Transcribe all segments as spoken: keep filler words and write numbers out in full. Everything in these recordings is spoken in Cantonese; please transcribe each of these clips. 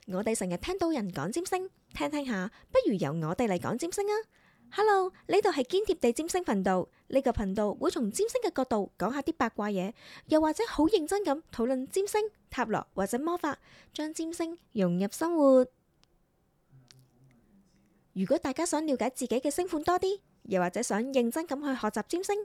我哋成日聽到人講占星，聽聽下，不如由我哋嚟講占星啊！Hello，呢度係堅貼地占星頻道，呢個頻道會從占星嘅角度講下啲八卦嘢，又或者好認真咁討論占星、塔羅或者魔法，將占星融入生活。如果大家想了解自己嘅星盤多啲，又或者想認真咁去學習占星，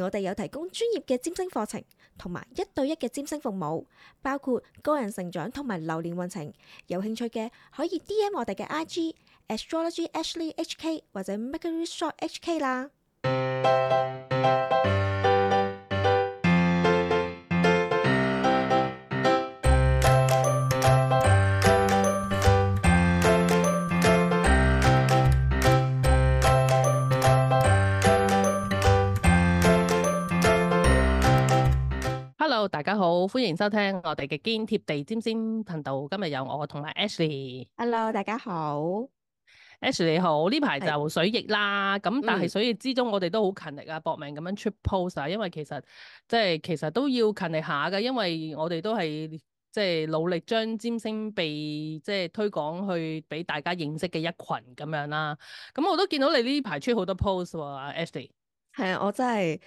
我哋有提供專業嘅占星課程，同埋一對一嘅占星服務，包括個人成長同埋流年運程。有興趣嘅可以 D M 我哋嘅 I G Astrology Ashley H K 或者 Mercury Shop H K 啦。Hello，大家好，歡迎收聽我哋嘅堅貼地占星頻道。今日有我同埋 Ashley。Hello，大家好。Ashley 你好，呢排就水逆啦，咁但係嗯水逆之中，我哋都好勤力啊，搏命咁樣出 post 啊，因為其實即係其實都要勤力下㗎，因為我哋都係即係努力將占星被即係推廣去俾大家認識嘅一群咁樣啦。咁我都見到你呢排出好多 post 喎，Ashley。係啊，我真係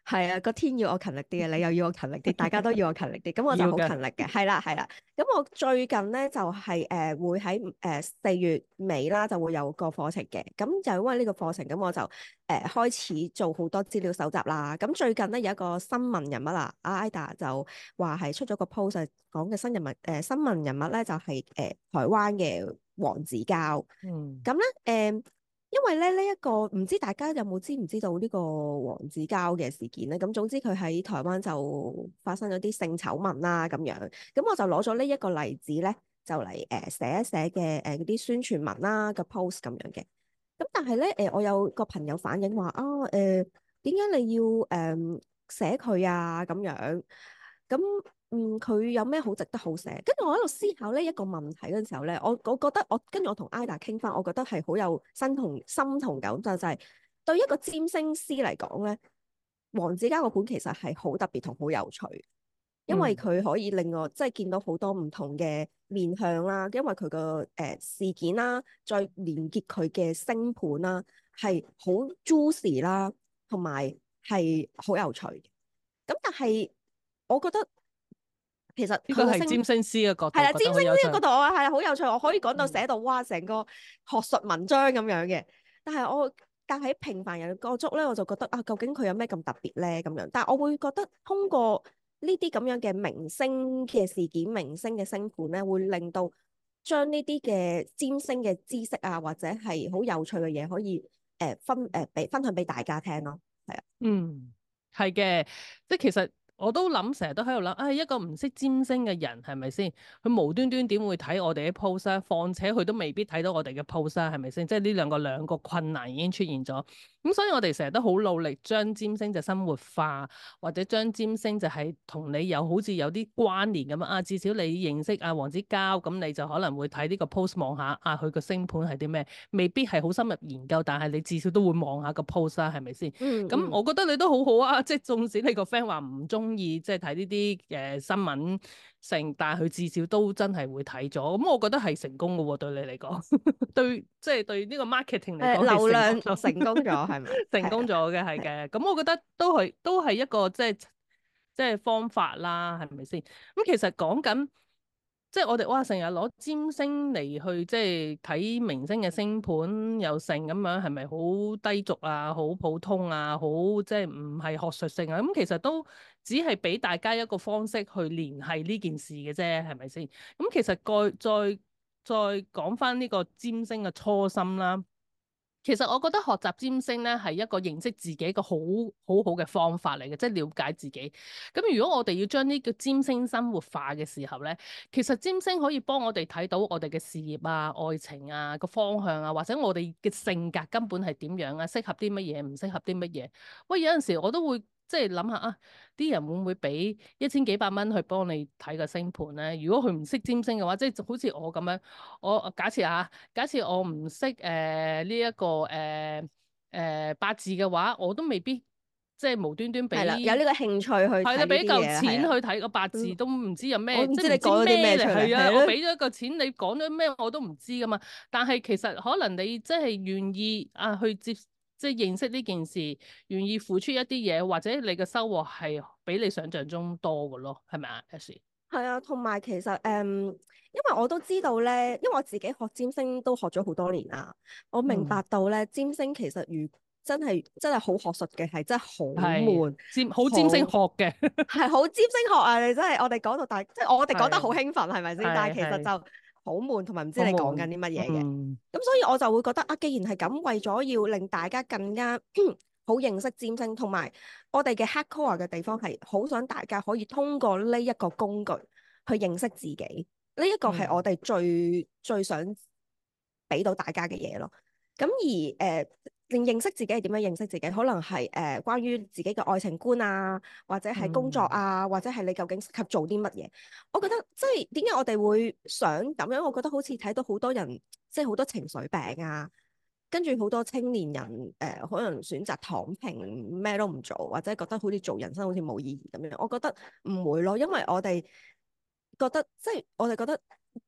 係啊，個天要我勤力啲啊，你又要我勤力啲，大家都要我勤力啲，咁我就好要嘅勤力嘅。係啦係啦，咁我最近咧就係、是、誒、呃、會喺誒四月尾啦，就會有個課程嘅。咁就因為呢個課程，咁我就誒、呃、開始做好多資料搜集啦。咁最近咧有一個新聞人物啦，阿 Ida 就話係出咗個 post 講嘅新人物誒、呃、新聞人物咧就係、是、誒、呃、台灣嘅黃子佼。嗯。咁咧誒。因為咧呢一個唔知大家有冇知唔知道呢個黃子佼嘅事件咧？咁總之佢喺台灣就發生咗啲性醜聞啦咁樣，咁我就攞咗呢一個例子咧，就嚟誒、呃、寫一寫嘅誒嗰啲宣傳文啦個 post 咁樣嘅。咁但係咧誒，我有個朋友反映話啊誒，點解你要誒、呃、寫佢啊咁樣？咁嗯，佢有咩好值得好寫？跟住我喺度思考呢一個問題嗰陣時候咧，我我覺得我跟住我同 Ida 傾翻，我覺得係好有身同心同感，就就係對一個占星師嚟講咧，黃子佼個盤其實係好特別同好有趣，因為佢可以令我即係見到好多唔同嘅面向啦，因為佢個誒事件啦，再連結佢嘅星盤啦，係好 juicy 啦，同埋係好有趣嘅。咁但係我覺得。其實呢個係佢個星占星師嘅角度，係啦，占星覺得好有趣。呢個度啊，係好有趣，我可以講到嗯寫到哇，成個學術文章咁樣嘅。但係我但喺平凡人嘅角度咧，我就覺得啊，究竟佢有咩咁特別咧？咁樣，但係我會覺得通過呢啲咁樣嘅明星嘅事件、明星嘅星盤咧，會令到將呢啲嘅占星嘅知識啊，或者係好有趣嘅嘢，可以誒、呃、分誒俾、呃、分享俾大家聽咯。係啊，嗯，係嘅，即係其實我都諗，成日都喺度諗，啊一個唔識占星嘅人係咪先？佢無端端點會睇我哋啲 post 啊？況且佢都未必睇到我哋嘅 post 啊，係咪先？即係呢兩個兩個困難已經出現咗。咁所以我哋成日都好努力將占星就生活化，或者將占星就係同你有好似有啲關聯咁啊。至少你認識阿黃子佼，咁你就可能會睇呢個 post 望下啊，佢個星盤係啲咩？未必係好深入研究，但係你至少都會望下個 post 啦，係咪先？咁、嗯嗯，我覺得你都好好啊，即係縱使你個 friend 話唔中意即係睇呢啲誒新聞性，但係佢至少都真係會睇咗。咁我覺得係成功嘅喎，對你嚟講，對即係對呢個 marketing 嚟誒、講流量係成功咗係咪？成功咗嘅係嘅，咁我覺得都係都係一個即係即係方法啦，係咪先？咁其實講緊即係我哋哇，成日攞占星嚟去即係睇明星嘅星盤又成咁樣，係咪好低俗啊？好普通啊？好即係唔係學術性啊？咁其實都只係俾大家一個方式去聯繫呢件事嘅啫，係咪先？咁其實再再再講翻呢個占星嘅初心啦。其實我覺得學習占星咧係一個認識自己一個好好好嘅方法嚟嘅，即係了解自己。咁如果我哋要將呢個占星生活化嘅時候咧，其實占星可以幫我哋睇到我哋嘅事業啊、愛情啊個方向啊，或者我哋嘅性格根本係點樣啊，適合啲乜嘢，唔適合啲乜嘢。喂，有陣時我都會即係諗下啊，啲人會唔會俾一千幾百蚊去幫你睇個星盤咧？如果佢唔識占星嘅話，即係好似我咁樣，我假設啊，假設我唔識誒呢一個誒誒、呃呃、八字嘅話，我都未必即係無端端係啦，有呢俾個興趣去係啦，睇呢俾嚿啲嘢係啦。錢去睇個八字嗯，都唔知有咩，我唔知你即係唔知講咗啲咩咩嚟。出嚟，係啊，係咯。我俾咗一個錢，你講咗咩我都唔知噶嘛。但係其實可能你真係願意啊去接，即係認識呢件事，願意付出一啲嘢，或者你嘅收穫係比你想象中多嘅咯，係咪啊？Ashley？係啊，同埋其實誒、嗯，因為我都知道咧，因為我自己學占星都學咗好多年啦，我明白嗯，到咧，占星其實如真係真係好學術嘅，係真係好係悶，占好占星好學嘅，係好占星學啊！你真係我哋講到大，即係我哋講得好係興奮，係咪先？但係係係其實就好悶，同埋唔知你講緊好悶。啲乜嘢嘅。嗯咁所以我就會覺得啊，既然係咁，為咗要令大家更加好認識占星，同埋我哋嘅 hardcore 嘅地方係好想大家可以通過呢一個工具去認識自己。呢、一個係我嗯哋最最想俾到大家嘅嘢咯。咁而誒、呃令認識自己係點樣認識自己？可能係誒、呃、關於自己嘅愛情觀啊，或者係工作嗯啊，或者係你究竟適合做啲乜嘢？我覺得即係點解我哋會想咁樣？我覺得好似睇到好多人即係好多情緒病啊，跟住好多青年人誒、呃，可能選擇躺平，咩都唔做，或者覺得好似做人生好似冇意義咁樣。我覺得唔會咯，因為我哋覺得即係我哋覺得。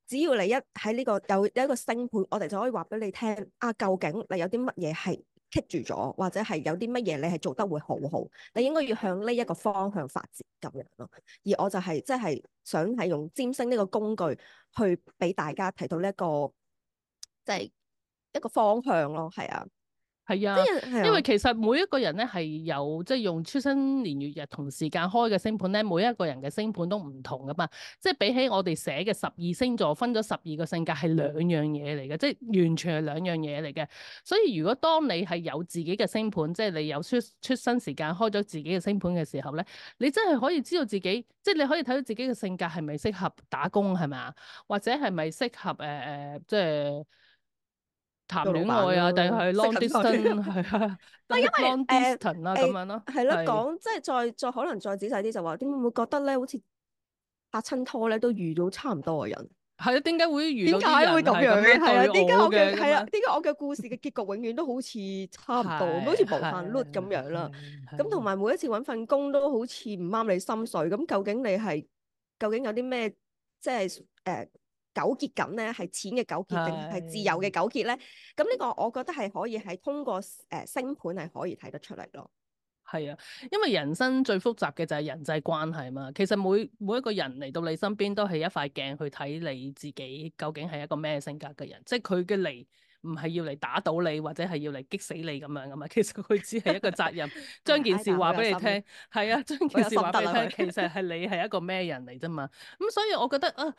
只要你一喺呢、個有有一個星盤，我哋就可以話俾你聽啊，究竟你有啲乜嘢係棘住咗，或者係有啲乜嘢你係做得會好好，你應該要向呢一個方向發展咁樣咯。而我就係即係想係用占星呢個工具去俾大家睇到呢、一個即係一個方向咯，係啊，係啊，因為係啊，其實每一個人咧係有即係用出生年月日同時間開嘅星盤咧，每一個人嘅星盤都唔同噶嘛。即係比起我哋寫嘅十二星座分咗十二個性格係兩樣嘢嚟嘅，即係完全係兩樣嘢嚟嘅。所以如果當你係有自己嘅星盤，即係你有出出生時間開咗自己嘅星盤嘅時候咧，你真係可以知道自己，即係你可以睇到自己嘅性格係咪適合打工係咪啊？或者係咪適合誒誒、呃呃、即係。談做老闆戀愛啊，定咯，係 long 適合佢。distance 係啊，唔係因為 long 誒 distance 啊咁誒樣咯，係咯，係講即係再再可能再仔細啲就話，點會唔會覺得咧，好似拍親拖咧都遇到差唔多嘅人？係啊，點解會遇到點解啲人會咁樣嘅？係咁樣係啊，點解對我我嘅係啊？嘅咁樣？點解我嘅故事嘅結局永遠都好似差唔多，好似係無限 loop 咁係樣啦。係咁同係埋每一次揾份工都好似唔啱你心水。咁究竟你係究竟有啲咩即係誒、呃、糾結緊咧？係錢嘅糾結定係自由嘅係糾結咧？咁呢個我覺得係可以係通過誒、呃、星盤係可以睇得出嚟咯。係啊，因為人生最複雜嘅就係人際關係嘛。其實每每一個人嚟到你身邊都係一塊鏡去睇你自己究竟係一個咩性格嘅人，即係佢嘅嚟唔係要嚟打倒你或者係要嚟激死你咁樣噶嘛。其實佢只係一個責任，將件事 Ida 好話有心，俾你聽。係啊，將好有件事心得啦佢。話俾你聽，其實係你係一個咩人嚟啫嘛。咁所以我覺得啊。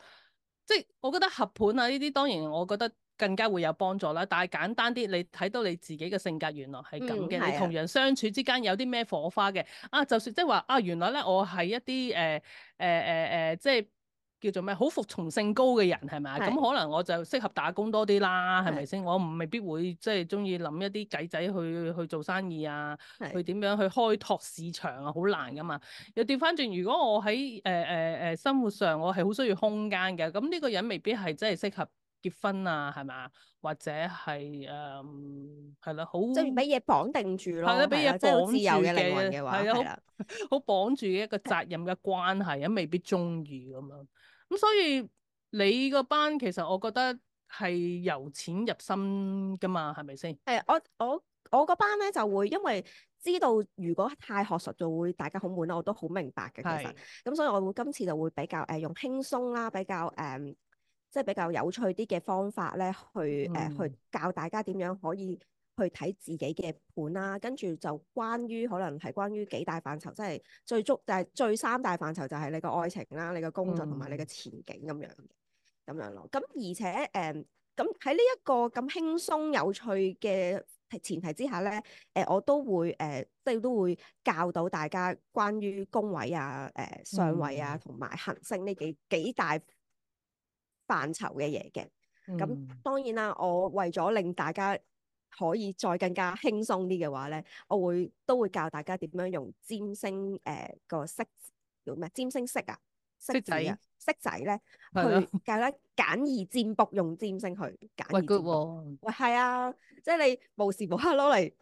即係我覺得合盤啊呢啲當然我覺得更加會有幫助啦。但係簡單啲，你睇到你自己嘅性格原來係咁嗯，嘅，你係啊，同人相處之間有啲咩火花嘅啊？就算即係話啊，原來咧我係一啲誒誒誒誒，即係叫做咩好服從性高嘅人係咪啊？咁係可能我就適合打工多啲啦，係咪係先？我唔未必會即係中意諗一啲計仔去去做生意啊，去係點樣去開拓市場啊，好難噶嘛。又調翻轉，如果我喺誒誒誒生活上，我係好需要空間嘅，咁呢個人未必係真係適合結婚啊，係咪？或者係誒係啦，好即係俾嘢綁定住咯，係啦，俾嘢係啦，即係好自綁住由嘅靈魂嘅，嘅話，係啊，好係啦，好綁住嘅一個責任嘅關係啊，未必中意咁樣。咁所以你個班其實我覺得係由淺入深噶嘛，係咪先？係我我我嗰班咧就會因為知道如果太學術就會大家好悶啦，我都好明白嘅其實，係咁所以我會今次就會比較誒、呃、用輕鬆啦，比較誒、呃、即係比較有趣啲嘅方法咧去誒、呃、嗯去教大家點樣可以去睇自己嘅盤啦，跟住就關於可能係關於幾大範疇，即係最足就係、是、最三大範疇就係你個愛情啦、你個工作同埋你嘅嗯前景咁樣嘅咁樣咯，咁而且誒。呃咁喺呢一個咁輕鬆有趣嘅前提之下咧，誒、呃、我都會誒、呃、即係都會教到大家關於宮位啊、誒、呃、相位啊嗯同埋行星呢幾幾大範疇嘅嘢嘅。咁嗯當然啦，我為咗令大家可以再更加輕鬆啲嘅話咧，我會都會教大家點樣用占星誒、呃、個色叫咩？占星色啊，色識仔字啊，色仔咧係咯，去教咧簡易占卜，用占星去簡喂 易 good 占卜。喎。喂，係啊，即係你無時無刻攞嚟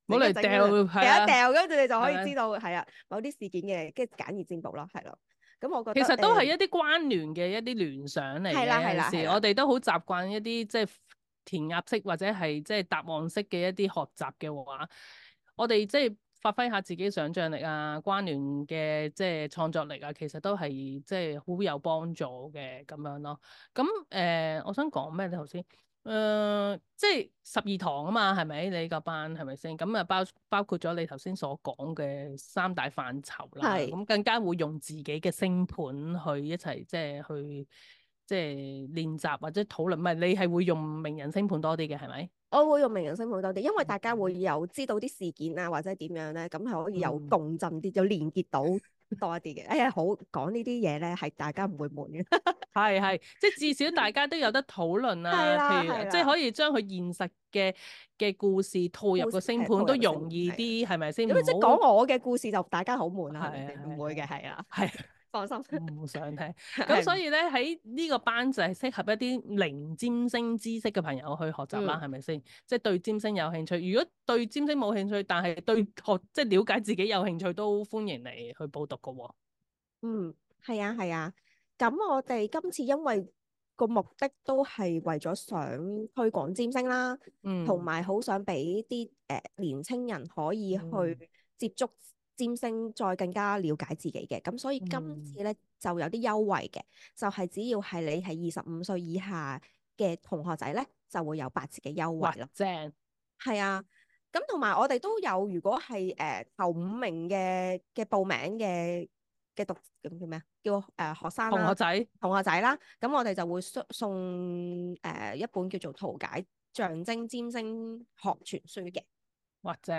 冇嚟掉，係啊，掉一掉，跟住你就可以係知道係啊某啲事件嘅，跟住簡易占卜咯，係咯。咁我覺其得誒實都係一啲關聯嘅一啲聯想嚟係啦係嘅。有陣時啦係啦，我哋都好習慣一啲即係填鴨式或者係即係答案式嘅一啲學習嘅話，我哋即係發揮下自己想像力啊、關聯嘅即係創作力啊，其實都係即係好有幫助嘅咁樣咯。咁誒、呃，我想講咩咧頭先？誒、呃，即係十二堂啊嘛，係咪？你個班係咪先？咁啊包包括咗你頭先所講嘅三大範疇啦，係咁更加會用自己嘅星盤去一齊即係去即係練習或者討論。唔係你係會用名人星盤多啲嘅係咪？我會用名人星盤多啲，因為大家會有知道啲事件啊或者點樣咧，咁係可以有嗯，共振啲，有連結到多一啲嘅。哎呀，好講呢啲嘢咧，係大家唔會悶嘅。係係，即係至少大家都有得討論啊。係啦譬如即係係啦，可以將佢現實嘅嘅故事套入故個星事係套盤都容入個星盤，係啊。易啲，係咪先？如果即係唔好講我嘅故事就大家好悶啦，係咪係先？唔會嘅，係係係啊，係。放心。唔想聽，咁所係以咧喺呢個班就係適合一啲零占星知識嘅朋友去學習啦，嗯係咪先？即係對占星有興趣。如果對占星冇興趣，但係對學即係了解自己有興趣，都歡迎你去報讀噶喎。嗯，係啊係啊。咁我哋今次因為個目的都係為咗想推廣占星啦，同嗯埋好想俾啲誒年青人可以嗯去接觸占星，再更加了解自己嘅。咁所以今嗯，次咧就有啲優惠嘅，就係、只要係你係二十五歲以下嘅同學仔咧，就會有八折嘅優哇惠咯。正，係啊，咁同埋我哋都有，如果係誒、呃、頭五名嘅嘅報名嘅嘅讀咁叫咩啊？叫誒、呃、學生啦，同學仔，同學仔啦，咁我哋就會送送誒、呃、一本叫做《圖解象徵占星學全書》嘅。哇正，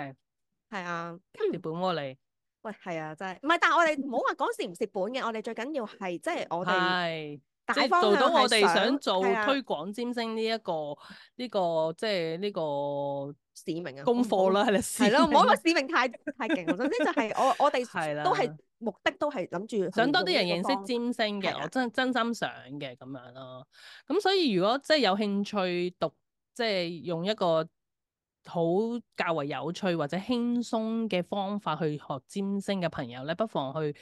係啊，蝕本喎你，喂，係啊，真係唔係，但係我哋唔好話講蝕唔蝕本嘅，我哋最緊要係即係我哋係即大係做到方向係我哋想想係啊做推廣占星呢一個呢個即係呢個使命啊，我唔好功課啦，係啦，使係咯，唔好話命啦，使命太太勁。總之就係我我哋係都係啦。目的都係諗住想多去用呢個啲人認識方法，占星嘅，我係啦，真真心想嘅咁樣咯。咁所以如果即係有興趣讀，即係用一個好較為有趣或者輕鬆嘅方法去學占星嘅朋友咧，不妨去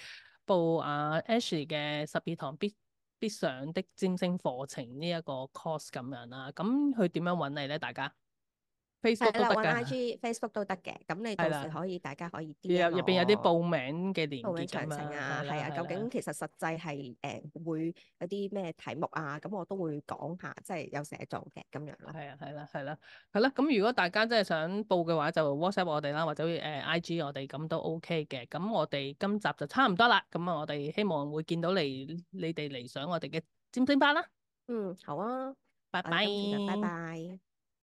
報阿 Ashley 嘅十二堂必必上的占星課程呢一個 course 咁樣啦。咁佢點樣揾你咧？大家 Facebook 係啦，揾 都得㗎，I G、Facebook 都得嘅。咁你到時係啦，可以大家可以 有 D M 入邊有啲我報名嘅連報名詳結咁啊，情啊，係啦，係啊，究係啦。竟其實實際係誒、呃、會有啲咩題目啊？咁我都會講下，即係有寫做嘅咁樣咯。係啊，係啦，係啦，係啦。咁如果大家真係想報嘅話，就 WhatsApp 我哋啦，或者誒 I G 我哋咁都 OK 嘅。咁我哋今集就差唔多啦。咁啊，我哋希望會見到你，你哋嚟上我哋嘅占星班啦。嗯，好啊，拜拜。我哋今次就拜拜。